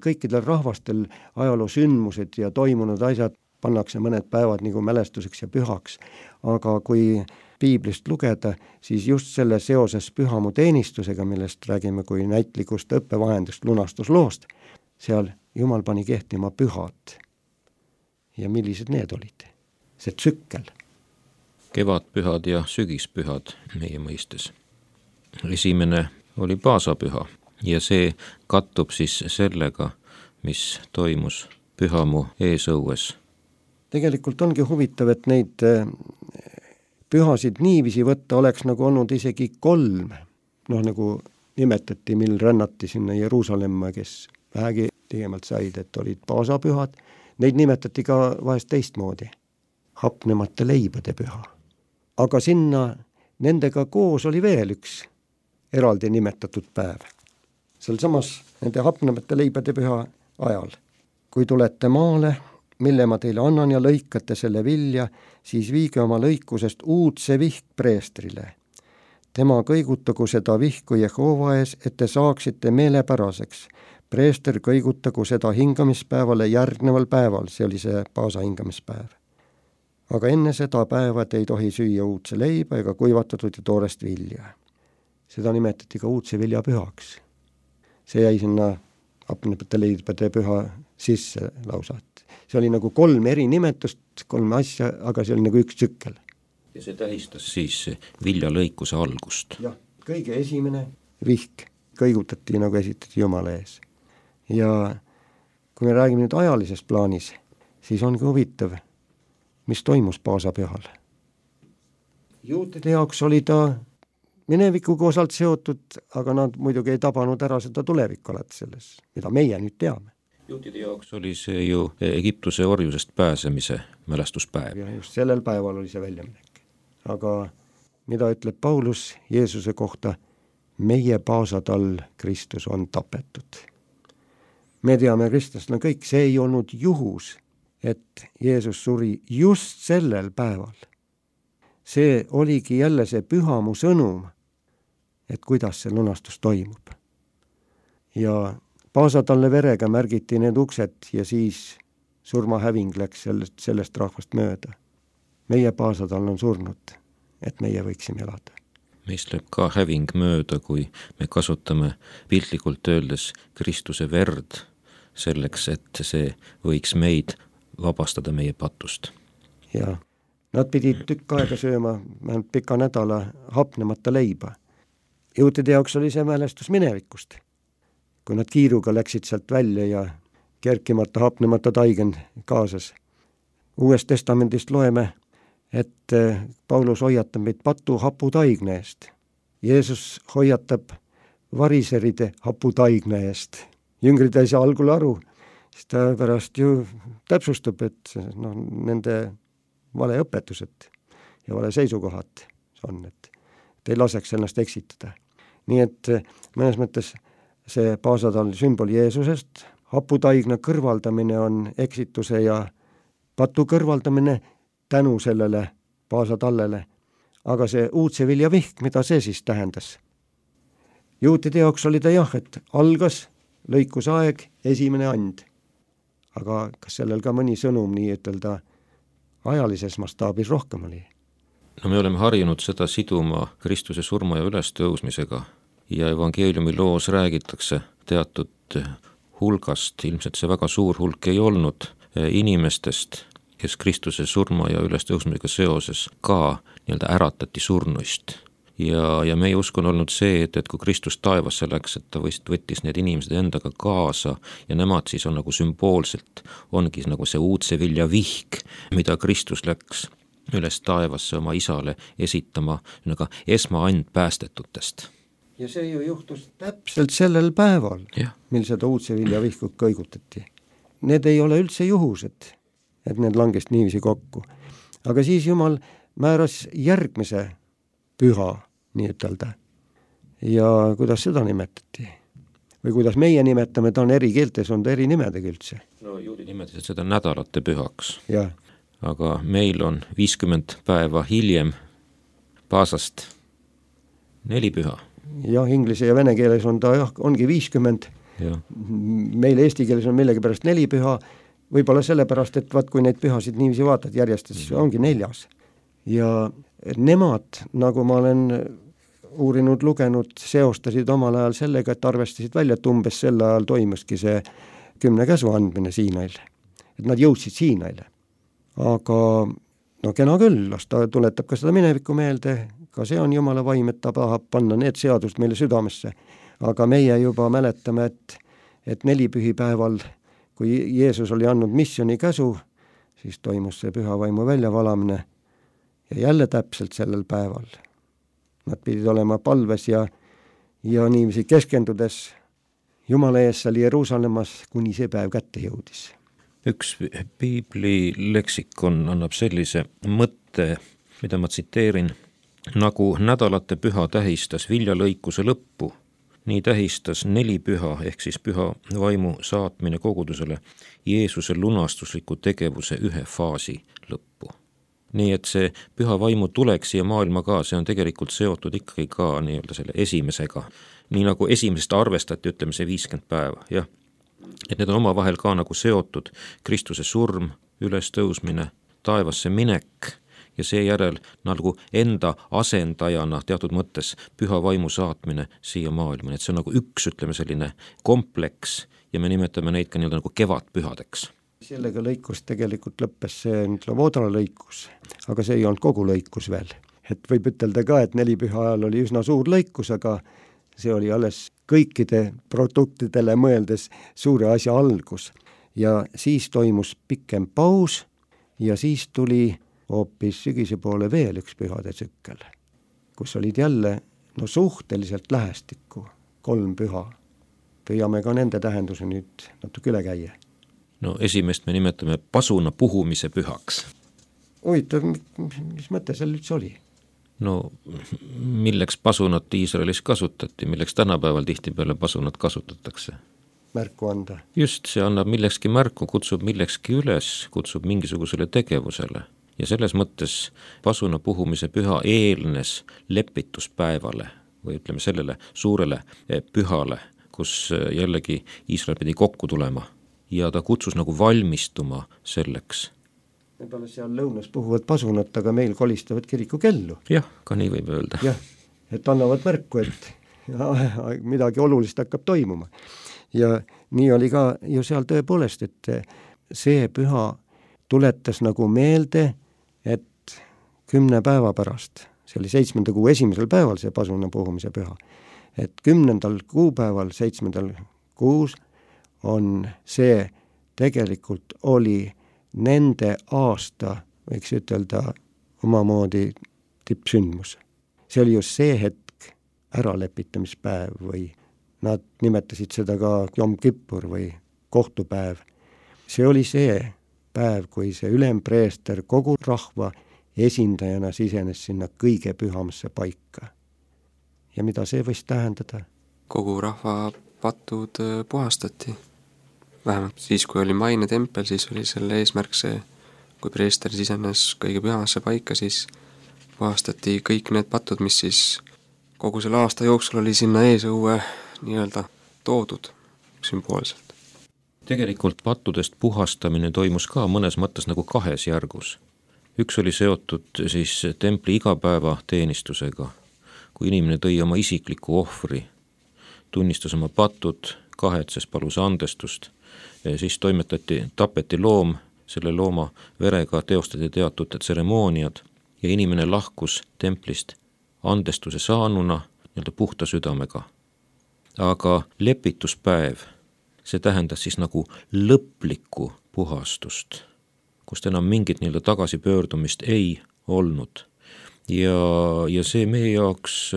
Kõikidel rahvastel ajaloo sündmused ja toimunud asjad pannakse mõned päevad nagu mälestuseks ja pühaks, aga kui piiblist lugeda, siis just selle seoses pühamu teenistusega, millest räägime kui näitlikust õppevahendust lunastusloost, seal Jumal pani kehtima pühad. Ja millised need olid? See tsükkel. Kevadpühad ja sügispühad meie mõistes. Esimene oli paasapüha ja see kattub siis sellega, mis toimus pühamu eesõues. Tegelikult ongi huvitav, et neid pühasid niiviisi võtta oleks nagu olnud isegi kolm. Noh, nagu nimetati, mil rännati sinna Jeruusalemma, kes vähegi tegemalt said, et olid paasapühad. Neid nimetati ka vahest teistmoodi. Hapnemata leibade püha. Aga sinna nendega koos oli veel üks eraldi nimetatud päev. Seal samas nende hapnemata leibade püha ajal. Kui tulete maale, mille ma teile annan ja lõikate selle vilja, siis viige oma lõikusest uudse vihk preestrile. Tema kõigutagu seda vihku Jehova ees, et te saaksite meelepäraseks. Preester kõigutagu seda hingamispäevale järgneval päeval, see oli see paasa hingamispäev. Aga enne seda päeva te ei tohi süüa uudse leiba ega kuivatatud ja toorest vilja. Seda nimetati ka uudse vilja pühaks. See jäi sinna hapnemata leibade püha sisse lausa. see oli nagu kolm eri nimetust, kolm asja, aga see oli nagu üks tsükkel. ja see tähistas siis viljalõikuse algust. jah, kõige esimene vihk kõigutati nagu esitati Jumala ees. Ja kui me räägime nüüd ajalises plaanis, siis ongi huvitav, mis toimus paasapühal. Juutide jaoks oli ta minevikuga osalt seotud, aga nad muidugi ei tabanud ära seda tulevikku alati selles, mida meie nüüd teame. Juutide jaoks oli see ju Egiptuse orjusest pääsemise mälestuspäev. Ja just sellel päeval oli see väljaminek. Aga mida ütleb Paulus Jeesuse kohta? Meie paasad all Kristus on tapetud. Me teame kristlasena kõik, see ei olnud juhus, et Jeesus suri just sellel päeval. See oligi jälle see pühamu sõnum, et kuidas see lunastus toimub. Ja paasatalle verega märgiti need uksed ja siis surmahäving läks sellest, sellest rahvast mööda. Meie paasatall on surnud, et meie võiksime elada. Meist läheb ka häving mööda, kui me kasutame piltlikult öeldes Kristuse verd selleks, et see võiks meid vabastada meie patust. Ja nad pidid tükk aega sööma, vähemalt pika nädala hapnemata leiba. Juutide jaoks oli see mälestus minevikust. Kui nad kiiruga läksid sealt välja ja kerkimata hapnemata taigen kaasas. Uuest testamendist loeme, et Paulus hoiatab meid patu haputaigne eest. Jeesus hoiatab variseride haputaigne eest. Jüngrid ei saa algul aru, siis ta pärast ju täpsustab, et no, nende vale õpetused ja vale seisukohad on, et ei laseks ennast eksitada. Nii et mõnes mõttes see paasatall sümbol Jeesusest, haputaigna kõrvaldamine on eksituse ja patu kõrvaldamine tänu sellele paasatallele, aga see uudse vilja vihk, mida see siis tähendas? Juutide jaoks oli ta jah, et algas lõikusaeg, esimene and. Aga kas sellel ka mõni sõnum nii ütelda ajalises mastaabis rohkem oli? No me oleme harjunud seda siduma Kristuse surma ja ülestõusmisega ja evangeeliumi loos räägitakse teatud hulgast, ilmselt see väga suur hulk ei olnud inimestest, kes Kristuse surma ja ülestõusmisega seoses ka nii-öelda äratati surnuist. Ja, ja meie usk on olnud see, et, et kui Kristus taevasse läks, et ta võttis need inimesed endaga kaasa ja nemad siis on nagu sümboolselt, ongi nagu see uudse vilja vihk, mida Kristus läks üles taevasse oma isale esitama nagu esmaand päästetutest. Ja see ju juhtus täpselt sellel päeval, ja. Mil seda uudse vilja vihkut kõigutati. Need ei ole üldse juhused, et need langest niiviisi kokku. Aga siis Jumal määras järgmise püha, nii ütelda. Ja kuidas seda nimetati? Või kuidas meie nimetame, ta on eri keeltes, on ta eri nimedega üldse. No juudi nimetasid seda nädalate pühaks. Ja. Aga meil on viiskümmend päeva hiljem paasast neli püha. Jah, inglise ja vene keeles on ta jah, ongi viiskümmend. Ja. Meil eesti keeles on millegi pärast neli püha, võib-olla sellepärast, et vaat kui neid pühasid niiviisi vaatad järjestas, mm. ongi neljas. Ja nemad, nagu ma olen uurinud, lugenud, seostasid omal ajal sellega, et arvestasid välja, et umbes sel ajal toimuski see kümne käsu andmine Siinail. Et nad jõudsid Siinaile. Aga no kena küll, las ta tuletab ka seda minevikku meelde, ka see on Jumala vaim, et ta tahab panna need seadust meile südamesse. Aga meie juba mäletame, et, et nelipühipäeval, kui Jeesus oli andnud missiooni käsu, siis toimus see püha vaimu väljavalamine ja jälle täpselt sellel päeval. Nad pidid olema palves ja, ja niiviisi keskendudes Jumala ees seal Jeruusalemmas, kuni see päev kätte jõudis. Üks piibli leksikon annab sellise mõtte, mida ma tsiteerin, nagu nädalate püha tähistas viljalõikuse lõppu, nii tähistas neli püha ehk siis püha vaimu saatmine kogudusele Jeesuse lunastusliku tegevuse ühe faasi lõppu. Nii et see püha vaimu tuleks siia maailma ka, see on tegelikult seotud ikkagi ka nii-öelda selle esimesega. Nii nagu esimesest arvestati, ütleme see viiskümmend päeva, jah. Et need on omavahel ka nagu seotud Kristuse surm, ülestõusmine, taevasse minek ja seejärel nagu enda asendajana teatud mõttes püha vaimu saatmine siia maailma. Et see on nagu üks, ütleme selline kompleks ja me nimetame neid ka nii-öelda nagu kevadpühadeks. sellega lõikus tegelikult lõppes see Sloboda lõikus, aga see ei olnud kogu lõikus veel. Et võib ütelda ka, et nelipüha ajal oli üsna suur lõikus, aga see oli alles kõikide produktidele mõeldes suure asja algus. Ja siis toimus pikem paus ja siis tuli hoopis sügise poole veel üks pühade tsükkel, kus olid jälle no suhteliselt lähestikku kolm püha. Püüame ka nende tähenduse nüüd natuke üle käia. No esimest me nimetame pasuna puhumise pühaks. Huvitav, mis mõte seal üldse oli? No milleks pasunat Iisraelis kasutati, milleks tänapäeval tihtipeale pasunat kasutatakse? Märku anda. Just, see annab millekski märku, kutsub millekski üles, kutsub mingisugusele tegevusele. Ja selles mõttes pasuna puhumise püha eelnes lepituspäevale või ütleme sellele suurele pühale, kus jällegi Iisrael pidi kokku tulema ja ta kutsus nagu valmistuma selleks. Võib-olla seal lõunas puhuvad pasunat, aga meil kolistavad kiriku kellu. Jah, ka nii võib öelda. Jah, et annavad märku, et midagi olulist hakkab toimuma. Ja nii oli ka ju seal tõepoolest, et see püha tuletas nagu meelde, et kümne päeva pärast, see oli seitsmenda kuu esimesel päeval see pasuna puhumise püha, et kümnendal kuupäeval, seitsmendal kuus on see tegelikult oli nende aasta, võiks ütelda, omamoodi tippsündmus. See oli just see hetk äralepitamispäev või nad nimetasid seda ka Jom Kippur või kohtupäev. See oli see päev, kui see ülempreester kogu rahva esindajana sisenes sinna kõige pühamasse paika. Ja mida see võis tähendada? Kogu rahva patud puhastati. Vähemalt siis, kui oli maine tempel, siis oli selle eesmärk see, kui preester sisenes kõige pühamasse paika, siis puhastati kõik need patud, mis siis kogu selle aasta jooksul oli sinna eesõue nii-öelda toodud sümboolselt. Tegelikult pattudest puhastamine toimus ka mõnes mõttes nagu kahes järgus. Üks oli seotud siis templi igapäeva teenistusega, kui inimene tõi oma isikliku ohvri, tunnistas oma patud, kahetses, palus andestust, siis toimetati, tapeti loom, selle looma verega teostati teatud tseremooniad ja inimene lahkus templist andestuse saanuna nii-öelda puhta südamega. Aga lepituspäev, see tähendas siis nagu lõplikku puhastust, kust enam mingit nii-öelda tagasipöördumist ei olnud. Ja, ja see meie jaoks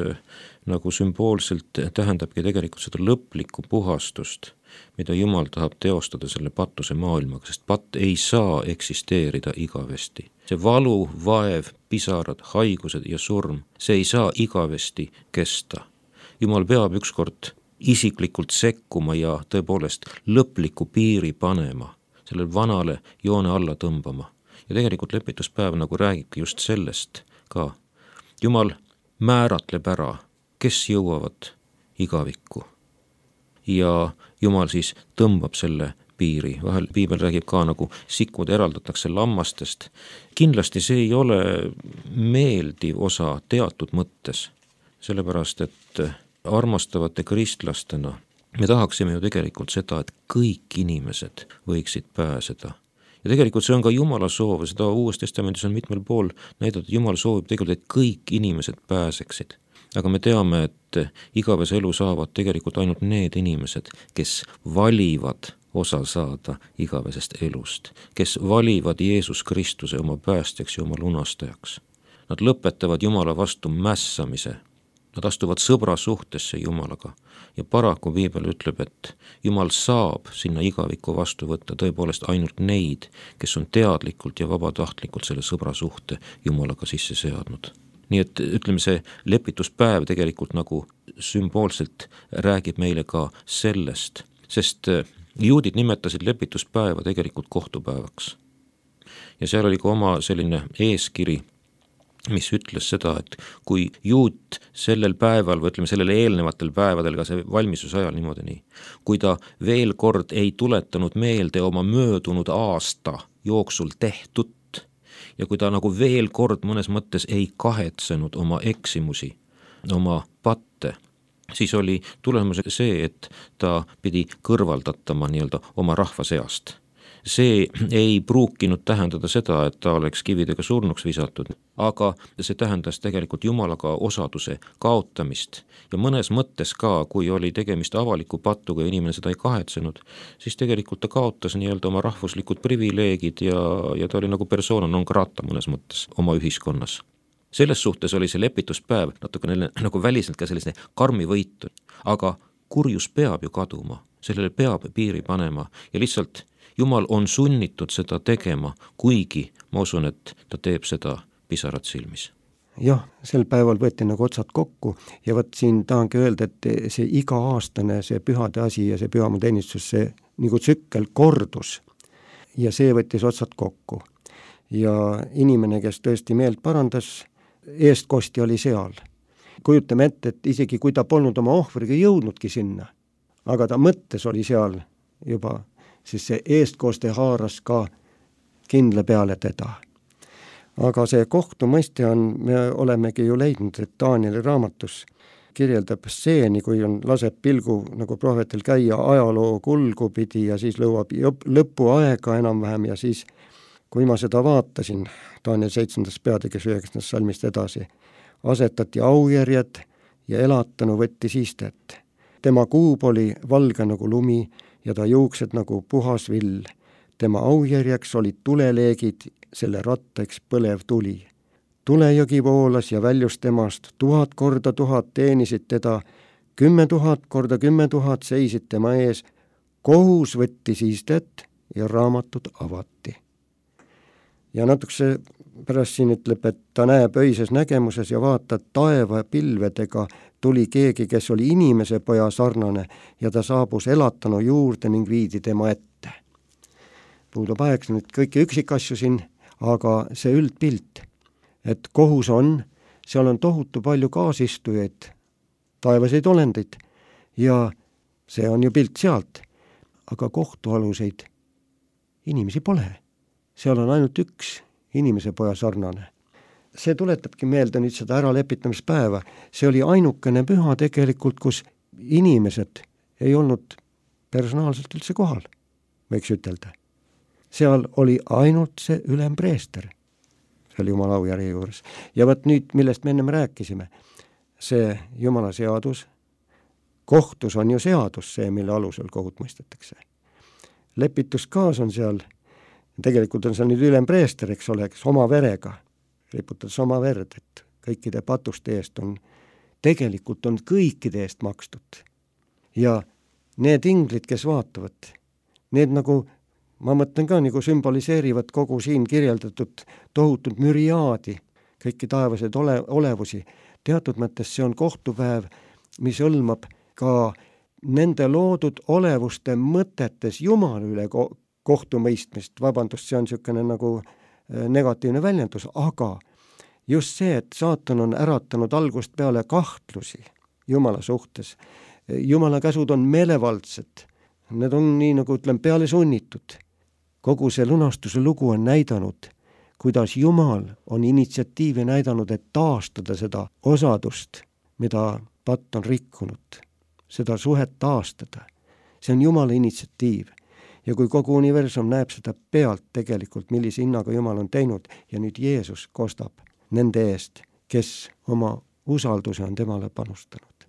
nagu sümboolselt tähendabki tegelikult seda lõplikku puhastust, mida Jumal tahab teostada selle pattuse maailmaga, sest patt ei saa eksisteerida igavesti. See valu, vaev, pisarad, haigused ja surm, see ei saa igavesti kesta. Jumal peab ükskord isiklikult sekkuma ja tõepoolest lõpliku piiri panema, sellele vanale joone alla tõmbama. Ja tegelikult lepituspäev nagu räägibki just sellest ka. Jumal määratleb ära, kes jõuavad igavikku. Ja Jumal siis tõmbab selle piiri. Vahel piibel räägib ka nagu sikud eraldatakse lammastest. Kindlasti see ei ole meeldiv osa teatud mõttes, sellepärast et armastavate kristlastena me tahaksime ju tegelikult seda, et kõik inimesed võiksid pääseda. Ja tegelikult see on ka Jumala soov, seda Uues Testamendis on mitmel pool näidatud, Jumal soovib tegelikult, et kõik inimesed pääseksid. Aga me teame, et igavese elu saavad tegelikult ainult need inimesed, kes valivad osa saada igavesest elust, kes valivad Jeesus Kristuse oma päästjaks ja oma lunastajaks. Nad lõpetavad Jumala vastu mässamise, nad astuvad sõbra suhtesse Jumalaga ja paraku piibel ütleb, et Jumal saab sinna igavikku vastu võtta tõepoolest ainult neid, kes on teadlikult ja vabatahtlikult selle sõbra suhte Jumalaga sisse seadnud. Nii et ütleme, see lepituspäev tegelikult nagu sümboolselt räägib meile ka sellest, sest juudid nimetasid lepituspäeva tegelikult kohtupäevaks. Ja seal oli ka oma selline eeskiri, mis ütles seda, et kui juut sellel päeval või ütleme sellel eelnevatel päevadel, ka see valmistuse ajal niimoodi nii, kui ta veel kord ei tuletanud meelde oma möödunud aasta jooksul tehtut, ja kui ta nagu veel kord mõnes mõttes ei kahetsenud oma eksimusi, oma patte, siis oli tulemus see, et ta pidi kõrvaldatama nii-öelda oma rahva seast. see ei pruukinud tähendada seda, et ta oleks kividega surnuks visatud, aga see tähendas tegelikult Jumalaga osaduse kaotamist ja mõnes mõttes ka, kui oli tegemist avaliku pattuga ja inimene seda ei kahetsenud, siis tegelikult ta kaotas nii-öelda oma rahvuslikud privileegid ja, ja ta oli nagu persona non grata mõnes mõttes oma ühiskonnas. Selles suhtes oli see lepituspäev natukene nagu väliselt ka selline karmi võitu, aga kurjus peab ju kaduma, sellele peab piiri panema ja lihtsalt Jumal on sunnitud seda tegema, kuigi ma usun, et ta teeb seda pisarat silmis. Jah, sel päeval võeti nagu otsad kokku ja võt siin tahangi öelda, et see iga-aastane see pühade asi ja see pühamuteenistus, see nagu tsükkel kordus ja see võttis otsad kokku. Ja inimene, kes tõesti meelt parandas, eestkosti oli seal. Kujutame ette, et isegi kui ta polnud oma ohvriga jõudnudki sinna, aga ta mõttes oli seal juba, siis see eestkoste haaras ka kindla peale teda. Aga see kohtumõiste on, me olemegi ju leidnud, et Danieli raamatus kirjeldab stseeni, kui on laseb pilgu nagu prohvetil käia ajaloo kulgu pidi ja siis lõuab lõpuaega enam-vähem ja siis kui ma seda vaatasin, Daniel seitsmendas peatükis üheksandast salmist edasi, asetati aujärjed ja elatanu võtti siistet. Tema kuub oli valge nagu lumi ja ta juuksed nagu puhas vill. Tema aujärjeks olid tuleleegid, selle ratteks põlev tuli. Tulejõgi voolas ja väljus temast, tuhat korda tuhat teenisid teda, kümme tuhat korda kümme tuhat seisid tema ees, kohus võtti siistet ja raamatud avati. Ja natukese pärast siin ütleb, et ta näeb öises nägemuses ja vaatab taeva pilvedega tuli keegi, kes oli inimese poja sarnane ja ta saabus elatanu juurde ning viidi tema ette. Puudub aeg nüüd kõiki üksikasju siin, aga see üldpilt, et kohus on, seal on tohutu palju kaasistujaid, taevaseid olendeid ja see on ju pilt sealt, aga kohtualuseid inimesi pole. Seal on ainult üks inimese poja sarnane. See tuletabki meelde nüüd seda äralepitamispäeva. See oli ainukene püha tegelikult, kus inimesed ei olnud personaalselt üldse kohal, võiks ütelda. Seal oli ainult see ülempreester, seal Jumala aujärje juures. Ja võt nüüd, millest me ennem rääkisime, see Jumala seadus, kohtus on ju seadus see, mille alusel kohut mõistetakse. Lepituskaas on seal, tegelikult on seal nüüd ülempreester, eks ole, kes oma verega, riputades oma verd, et kõikide patuste eest on, tegelikult on kõikide eest makstud. Ja need inglid, kes vaatavad, need nagu, ma mõtlen ka nagu sümboliseerivad kogu siin kirjeldatud tohutut müriaadi, kõiki taevased ole, olevusi. Teatud mõttes see on kohtupäev, mis hõlmab ka nende loodud olevuste mõtetes Jumala üle ko- kohtumõistmist, vabandust, see on niisugune nagu negatiivne väljendus, aga just see, et saatan on äratanud algust peale kahtlusi Jumala suhtes. Jumala käsud on meelevaldsed, need on nii nagu ütlen peale sunnitud. Kogu see lunastuse lugu on näidanud, kuidas Jumal on initsiatiivi näidanud, et taastada seda osadust, mida patt on rikkunud, seda suhet taastada. See on Jumala initsiatiiv. Ja kui kogu universum näeb seda pealt tegelikult, millise hinnaga Jumal on teinud ja nüüd Jeesus kostab nende eest, kes oma usalduse on temale panustanud.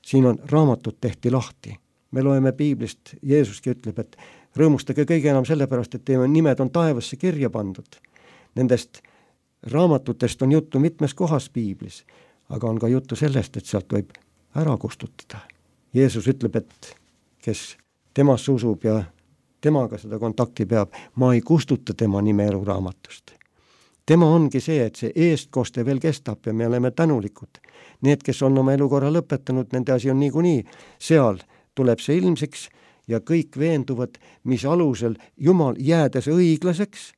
Siin on raamatud tehti lahti. Me loeme piiblist, Jeesuski ütleb, et rõõmustage kõige enam sellepärast, et teie nimed on taevasse kirja pandud. Nendest raamatutest on juttu mitmes kohas piiblis, aga on ka juttu sellest, et sealt võib ära kustutada. Jeesus ütleb, et kes temasse usub ja temaga seda kontakti peab, ma ei kustuta tema nime eluraamatust. Tema ongi see, et see eestkoste veel kestab ja me oleme tänulikud. Need, kes on oma elukorra lõpetanud, nende asi on niikuinii. Seal tuleb see ilmseks ja kõik veenduvad, mis alusel Jumal jäädes õiglaseks,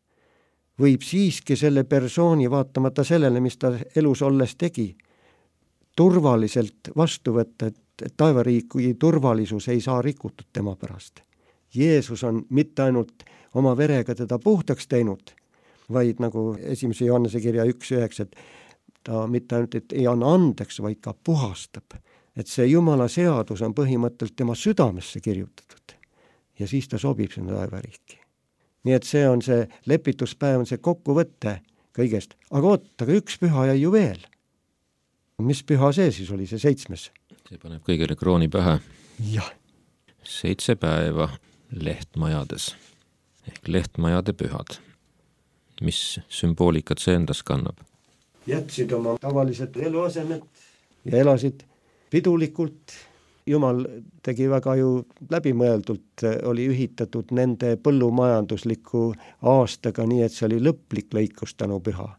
võib siiski selle persooni vaatamata sellele, mis ta elus olles tegi, turvaliselt vastu võtta, et taevariigi turvalisus ei saa rikutud tema pärast. Jeesus on mitte ainult oma verega teda puhtaks teinud, vaid nagu esimese Johannese kirja üks üheksa, et ta mitte ainult et ei anna andeks, vaid ka puhastab. Et see Jumala seadus on põhimõtteliselt tema südamesse kirjutatud ja siis ta sobib sinna taevariiki. nii et see on see lepituspäev, on see kokkuvõte kõigest. Aga oot, aga üks püha jäi ju veel. Mis püha see siis oli, see seitsmes? See paneb kõigile krooni pähe. Jah. Seitse päeva lehtmajades ehk lehtmajade pühad. Mis sümboolikat see endas kannab? Jätsid oma tavalised eluasemed ja elasid pidulikult. Jumal tegi väga ju läbimõeldult, oli ühitatud nende põllumajandusliku aastaga, nii et see oli lõplik lõikus tänu püha.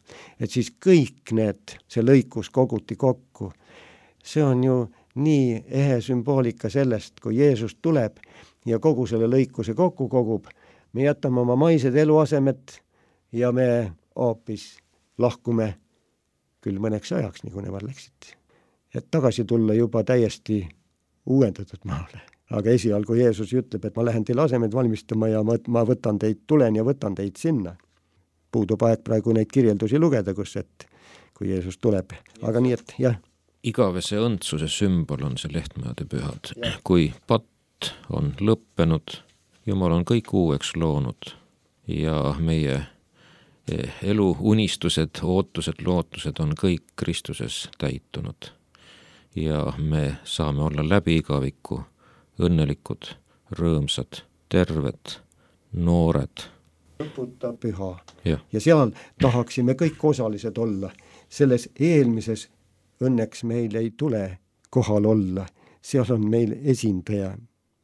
Et siis kõik need, see lõikus koguti kokku. See on ju nii ehe sümboolika sellest, kui Jeesus tuleb ja kogu selle lõikuse kokku kogub. Me jätame oma maised eluasemed ja me hoopis lahkume küll mõneks ajaks, nagu nemad läksid. Et tagasi tulla juba täiesti uuendatud maale. Aga esialgu Jeesus ütleb, et ma lähen teile asemed valmistama ja ma, ma võtan teid, tulen ja võtan teid sinna. Puudub aeg praegu neid kirjeldusi lugeda, kus et kui Jeesus tuleb. Aga nii, et jah. Igavese õndsuse sümbol on see lehtmajade pühad. Kui patt on lõppenud, Jumal on kõik uueks loonud ja meie elu unistused, ootused, lootused on kõik Kristuses täitunud. Ja me saame olla läbi igaviku õnnelikud, rõõmsad, terved, noored. Lõputa püha. Ja. ja seal tahaksime kõik osalised olla. Selles eelmises õnneks meil ei tule kohal olla. Seal on meil esindaja,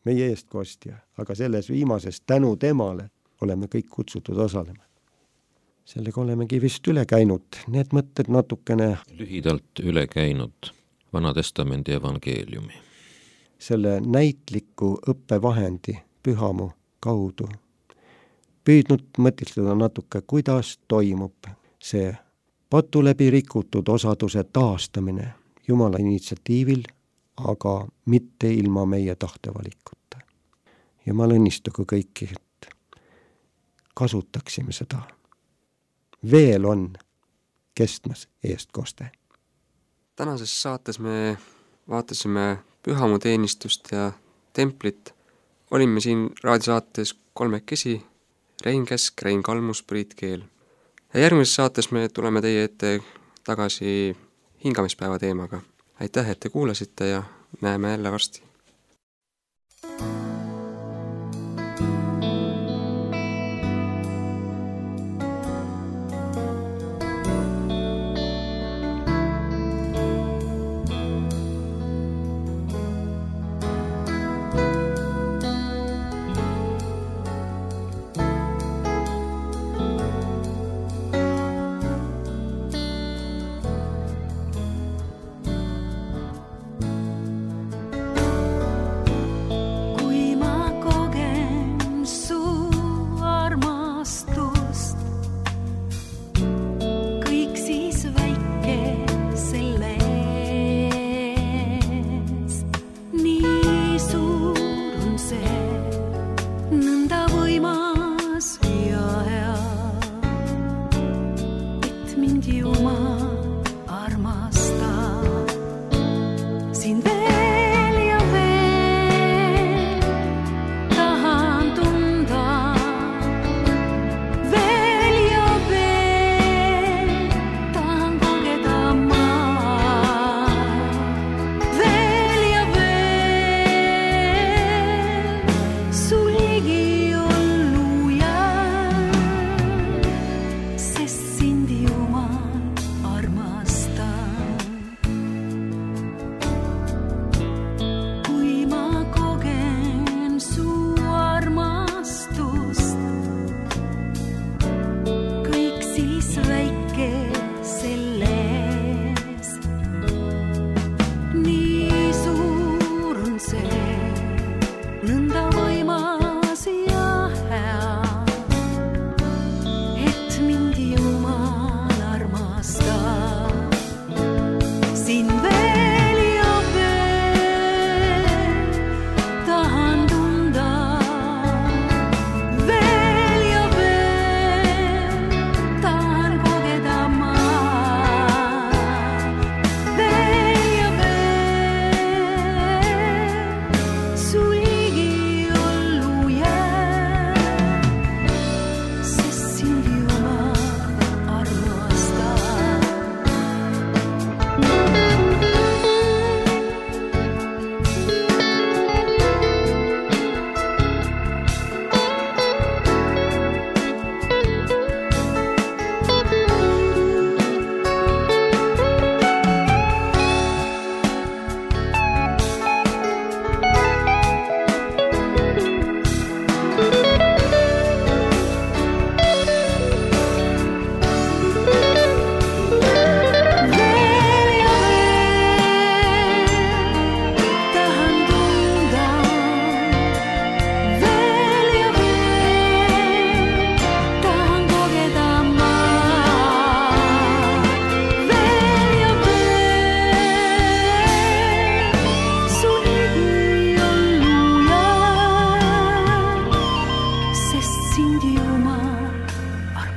meie eestkostja, aga selles viimases tänu temale oleme kõik kutsutud osalema. Sellega olemegi vist üle käinud, need mõtted natukene lühidalt üle käinud Vana Testamendi evangeeliumi. Selle näitliku õppevahendi pühamu kaudu püüdnud mõtistada natuke, kuidas toimub see patu läbi rikutud osaduse taastamine Jumala initsiatiivil, aga mitte ilma meie tahtevalikuta. Jumal õnnistagu kõiki, et kasutaksime seda. Veel on kestmas eestkoste. Tänases saates me vaatasime pühamuteenistust ja templit. Olime siin raadiosaates kolmekesi, Rein Kesk, Rein Kalmus, Priit Keel. Ja järgmises saates me tuleme teie ette tagasi hingamispäeva teemaga. Aitäh, et te kuulasite ja näeme jälle varsti.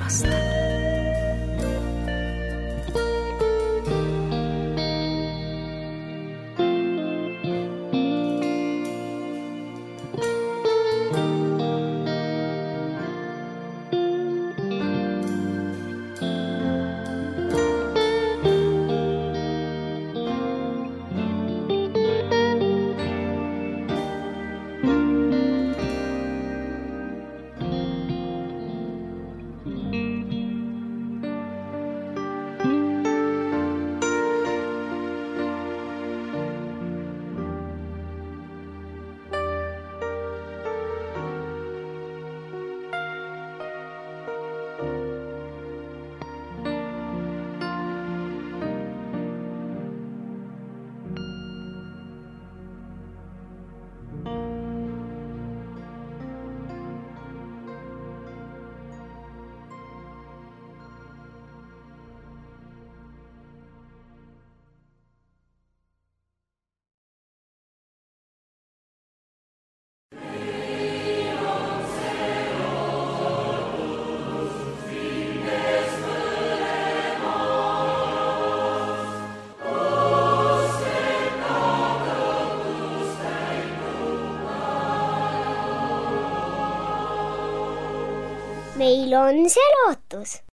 aasta. Meil on see lootus.